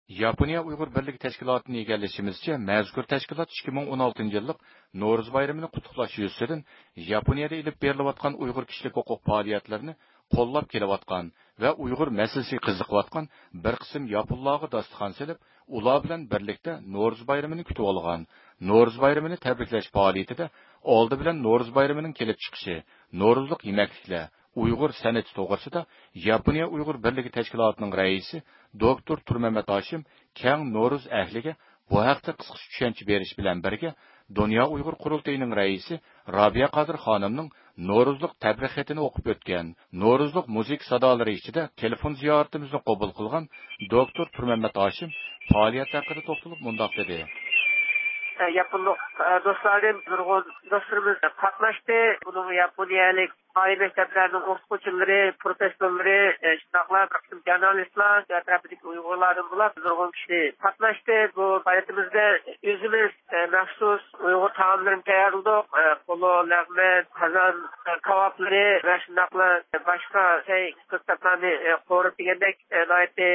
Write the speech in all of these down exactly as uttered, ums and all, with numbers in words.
ياپونىيە ئۇيغۇر بىرلىكى تەشكىلاتىدىن ئىگىلىشىمىزچە، مەزكۇر تەشكىلات ئىككى مىڭ ئون ئالتىنچى يىللىق نورۇز بايرىمىنى قۇتلۇقلاش يۈزىسىدىن ياپونىيەدە ئېلىپ بېرىلىۋاتقان ئۇيغۇر كىشىلىك ھوقۇق پائالىيەتلىرىنى قوللاپ كېلىۋاتقان ۋە ئۇيغۇر مەسىلىسىگە قىزىقىۋاتقان بىر قىسىم ياپونلارغا داستىخان سېلىپ، ئۇلار بىلەن بىرلىكتە نورۇز بايرىمىنى كۈتۈۋالغان. نورۇز بايرىمىنى تەبرىكلەش پائالىيىتىدە ئالدى بىلەن نورۇز بايرىمىنىڭ كېلىپ چىقىشى، نورۇزلۇق يېمەكلىكلەر، ئۇيغۇر سەنئىتى توغرىسىدا ياپونىيە ئۇيغۇر بىرلىكى تەشكىلاتىنىڭ رەئىسى دوكتور تۇرمەمەت ھاشىم كەڭ نورۇز ئەھلىگە بۇ ھەقتە قىسقىچە چۈشەنچە بېرىش بىلەن بىرگە، دۇنيا ئۇيغۇر قۇرۇلتىيىنىڭ رەئىسى رابىيە قادىر خانىمنىڭ نورۇزلۇق تەبرىك خېتىنى ئوقۇپ ئۆتكەن. نورۇزلۇق مۇزىكا سادالىرى ئىچىدە تېلېفون زىيارىتىمىزنى قوبۇل قىلغان دوكتور تۇرمەمەت ھاشىم پائالىيەت ھەققىدە توختىلىپ مۇنداق دېدى. ياپونلۇق دوستلاردىن نۇرغۇن دوستلىرىمىز قاتناشتى. بۇنىڭغا ياپونىيەلىك ئالىي مەكتەپلەرنىڭ ئوقۇتقۇچىلىرى، پروفېسسورلىرى، شۇنداقلا بىر قىسىم ژۇرنالىستلار، ئەتراپىدىكى ئۇيغۇرلاردىن بولۇپ نۇرغۇن كىشى قاتناشتى. بۇ پائالىيىتىمىزدە ئۆزىمىز مەخسۇس ئۇيغۇر تائاملىرىنى تەييارلىدۇق. پولۇ، لەغمەن، قازان كاۋاپلىرى ۋە شۇنداقلا باشقا چاي، قىزىتلارنى قورۇپ دېگەندەك ناھايىتى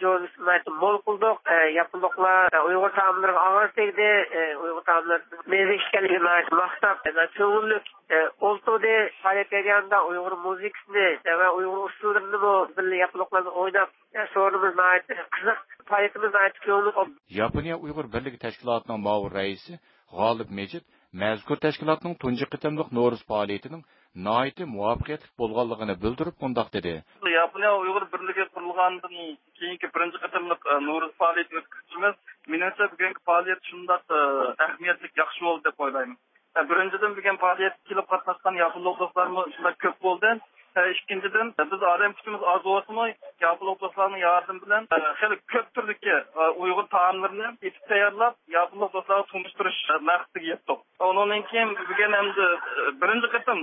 جوزىسىنى ناھايىتى مول قىلدۇق. ياپونلۇقلار ئۇيغۇر تائاملىرىغا ئاغزى تەگدى. ئۇيغۇر تائاملىرىنىڭ مەززىلىك ئىكەنلىكىنى ناھايىتى ماختاپ، كۆڭۈللۈك ئولتۇردى. پائالىيەت جەريانىدا ئۇيغۇر مۇزىكىسىنى ۋە ئۇيغۇر ئۇسسۇللىرىنىمۇ بىللە ياپونلۇق بىلەن ئويناپ، سورۇنىمىز ناھايىتى قىزىق. پائالىيىتىمىز ناھايىتى كۆڭۈللۈك. ياپونىيە ئۇيغۇر بىرلىكى تەشكىلاتىنىڭ مۇئاۋىن رەئىسى غالىپ مېجىت مەزكۇر تەشكىلاتنىڭ تۇنجى قېتىملىق نورۇز پائالىيىتىنىڭ ناھايىتى مۇۋەپپەقىيەتلىك بولغانلىقىنى بىلدۈرۈپ مۇنداق دېدى. ياپونىيە ئۇيغۇر بىرلىكى قۇرۇلغاندىن كېيىنكى بىرىنچى قېتىملىق، ئە، نورۇز پائالىيىتى ئۆتكۈزۈشىمىز. مېنىڭچە، بۈگۈنكى پائالىيەت شۇنداق، ئە، ئەھمىيەتلىك، ياخشى بولدى دەپ ئويلايمەن. ئە، بىرىنچىدىن، بۈگۈن پائالىيەتكە كېلىپ قاتناشقان ياپونلۇق دوستلارمۇ شۇنداق كۆپ بولدى. ئە، ئىككىنچىدىن، بىز ئادەم كۈچىمىز ئاز بولسىمۇ، ياپونلۇق دوستلارنىڭ ياردىمى بىلەن، ئە، خېلى كۆپ تۈردىكى، ئە، ئۇيغۇر تائاملىرىنى ئېتىپ تەييارلاپ، ياپونلۇق دوستلارغا تونۇشتۇرۇش، ئە، مەقسىتىگە يەتتۇق. ئۇنىڭدىن كېيىن بۈگۈن ئەمدى، ئە، بىرىنچى قېتىم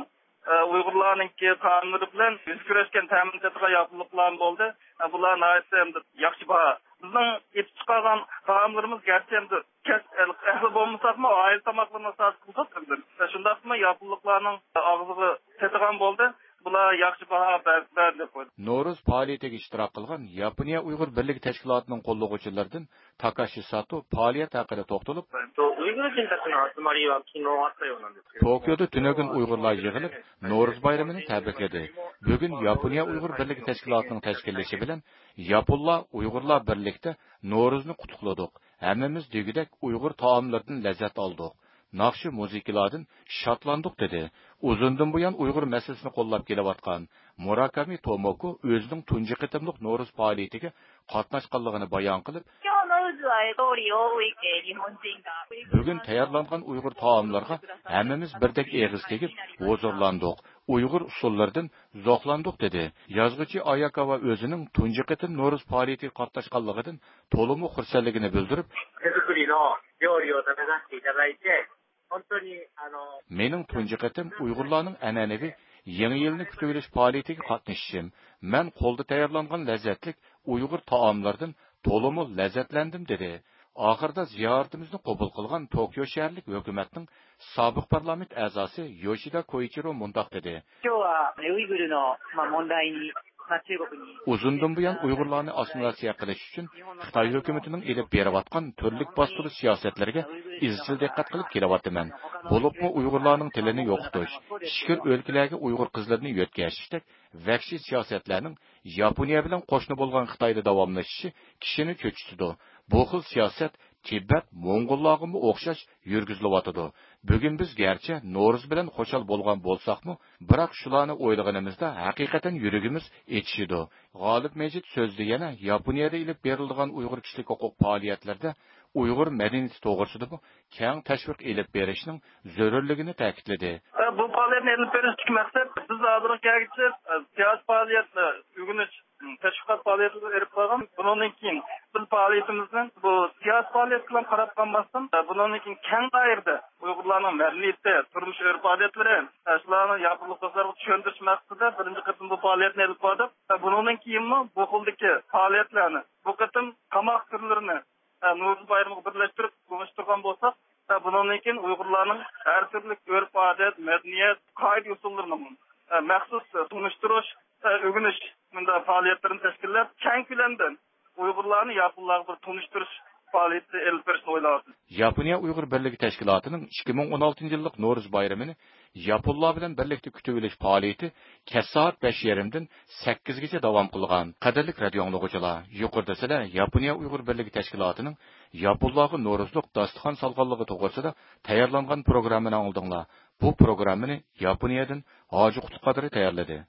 ئە، ئۇيغۇرلارنىڭكى تائاملىرى بىلەن بىز كۆرۈشكەن تەمىنى تېتىغان ياپونلۇقلارمۇ بولدى. ئە، بۇلار ناھايىتى ئەمدى ياخشى باھا. بىزنىڭ ئېتىپ چىقارغان تائاملىرىمىز گەرچە ئەمدى كەسىپ ئەھلى بولمىساقمۇ، ئائىلە تاماقلىرىنى ئاساس قىلدۇق ئەمدى. ئە، شۇنداقمۇ ياپونلۇقلارنىڭ ئاغزىغا تېتىغان بولدى. بۇلار ياخشى باھا بەر-، بەردى دەپ قويدى. نورۇز پائالىيىتىگە ئىشتىراك قىلغان ياپونىيە ئۇيغۇر بىرلىكى تەشكىلاتىنىڭ قوللىغۇچىلىرىدىن تاكاشى ساتو پائالىيەت ھەققىدە توختىلىپ، えっと、ウイグル人たちの集まりは昨日あったようなんですけど、 توكيودا تۈنۈگۈن ئۇيغۇرلار يىغىلىپ، نورۇز بايرىمىنى تەبرىكلىدى. بۈگۈن ياپونىيە ئۇيغۇر بىرلىكى تەشكىلاتىنىڭ تەشكىللىشى بىلەن ياپونلار، ئۇيغۇرلار بىرلىكتە نورۇزنى قۇتلۇقلىدۇق. ھەممىمىز دېگۈدەك ئۇيغۇر تائاملىرىدىن لەززەت ئالدۇق. ناخشا، مۇزىكىلاردىن شادلاندۇق، دېدى. ئۇزۇندىن بۇيان ئۇيغۇر مەسىلىسىنى قوللاپ كېلىۋاتقان مۇراكامى توموكو ئۆزىنىڭ تۇنجى قېتىملىق نورۇز پائالىيىتىگە قاتناشقانلىقىنى بايان قىلىپ، 今日の渦は通り多い、えー日本人が بۈگۈن تەييارلانغان ئۇيغۇر تائاملىرىغا ھەممىمىز بىردەك ئېغىز تېگىپ ھۇزۇرلاندۇق. ئۇيغۇر ئۇسسۇللىرىدىن زوقلاندۇق، دېدى. يازغۇچى ئاياكاۋا ئۆزىنىڭ تۇنجى قېتىم نورۇز پائالىيىتىگە قاتناشقانلىقىدىن تولىمۇ خۇرسەنلىكىنى بىلدۈرۈپ، 手作りの料理を食べさせていただいて、本当に、あの مېنىڭ تۇنجى قېتىم ئۇيغۇرلارنىڭ ئەنئەنىۋى يېڭى يىلنى كۈتۈۋېلىش پائالىيىتىگە قاتنىشىشىم. مەن قولدا تەييارلانغان لەززەتلىك ئۇيغۇر تائاملىرىدىن تولىمۇ لەززەتلەندىم، دېدى. ئاخىرىدا زىيارىتىمىزنى قوبۇل قىلغان توكيو شەھەرلىك ھۆكۈمەتنىڭ سابىق پارلامېنت ئەزاسى يوشىدا كوئىچىرو مۇنداق دېدى. 今日は、えー、ウイグルの、まあ、問題に ئۇزۇندىن بۇيان ئۇيغۇرلارنى ئاسسىمىلياتسىيە قىلىش ئۈچۈن خىتاي ھۆكۈمىتىنىڭ ئېلىپ بېرىۋاتقان تۈرلۈك باستۇرۇش سىياسەتلىرىگە ئىزچىل دىققەت قىلىپ كېلىۋاتىمەن. بولۇپمۇ ئۇيغۇرلارنىڭ تىلىنى يوقىتىش، ئىچكىرى ئۆلكىلەرگە ئۇيغۇر قىزلىرىنى يۆتكەشتەك ۋەھشىي سىياسەتلەرنىڭ ياپونىيە بىلەن قوشنا بولغان خىتايدا داۋاملىشىشى كىشىنى چۆچۈتىدۇ. بۇ خىل سىياسەت تىبەت، موڭغۇللارغىمۇ ئوخشاش يۈرگۈزۈلۈۋاتىدۇ. بۈگۈن بىز گەرچە نورۇز بىلەن خۇشال بولغان بولساقمۇ، بىراق شۇلارنى ئويلىغىنىمىزدا ھەقىقەتەن يۈرىكىمىز ئېچىشىدۇ. غالىپ مەجىت سۆزىدە يەنە ياپونىيەدە ئېلىپ بېرىلىدىغان ئۇيغۇر كىشىلىك ھوقۇق پائالىيەتلىرىدە ئۇيغۇر مەدەنىيىتى توغرىسىدىمۇ كەڭ تەشۋىق ئېلىپ بېرىشنىڭ زۆرۈرلۈكىنى تەكىتلىدى. بۇ پائالىيەتنى ئېلىپ بېرىشتىكى مەقسەت، بىز ھازىرغا كەلگۈچە سىياسىي پائالىيەت، ئۆگىنىش، تەشۋىقات پائالىيەتلىرىنى ئېلىپ بارغان. بۇنىڭدىن كېيىن بىز پائالىيىتىمىزنى بۇ سىياسىي پائالىيەت بىلەن قاراپ قالماستىن، بۇنىڭدىن كېيىن كەڭ دائىرىدە ئۇيغۇرلارنىڭ مەدەنىيىتى، تۇرمۇش ئۆرپ-ئادەتلىرى، شۇلارنى ياپونلۇق دوستلارغا چۈشەندۈرۈش مەقسىتىدە بىرىنچى قېتىم بۇ پائالىيەتنى ئېلىپ باردۇق. بۇنىڭدىن كېيىنمۇ بۇ خىلدىكى پائالىيەتلەرنى، بۇ قېتىم تاماق تۈرلىرىنى، نورۇز بايرىمىغا بىرلەشتۈرۈپ تونۇشتۇرغان بولساق، بۇنىڭدىن كېيىن ئۇيغۇرلارنىڭ ھەر تۈرلۈك ئۆرپ-ئادەت، مەدەنىيەت، قائىدە-ئۇسۇللىرىنىمۇ مەخسۇس تونۇشتۇرۇش، ئۆگىنىش مۇنداق پائالىيەتلىرىنى تەشكىللەپ، كەڭ كۆلەمدە ئۇيغۇرلارنى ياپون بىر تونۇشتۇرۇش پائالىيىتى ئېلىپ بېرىشنى ئويلاۋاتىمىز. ياپونىيە ئۇيغۇر بىرلىكى تەشكىلاتىنىڭ ئىككى مىڭ ئون ئالتىنچى يىللىق نورۇز بايرىمىنى ياپونلار بىلەن بىرلىكتە كۈتۈۋېلىش پائالىيىتى كەچ سائەت بەش يېرىمدىن سەككىزگىچە داۋام قىلغان. قەدىرلىك رادىئو ئاڭلىغۇچىلار، يۇقىرىدا سىلەر ياپونىيە ئۇيغۇر بىرلىكى تەشكىلاتىنىڭ ياپونلارغا نورۇزلۇق داستىخان سالغانلىقى توغرىسىدا تەييارلانغان پروگراممىنى ئاڭلىدىڭلار. بۇ پروگراممىنى ياپونىيەدىن ھاجى قۇتلۇق قادىرى تەييارلىدى.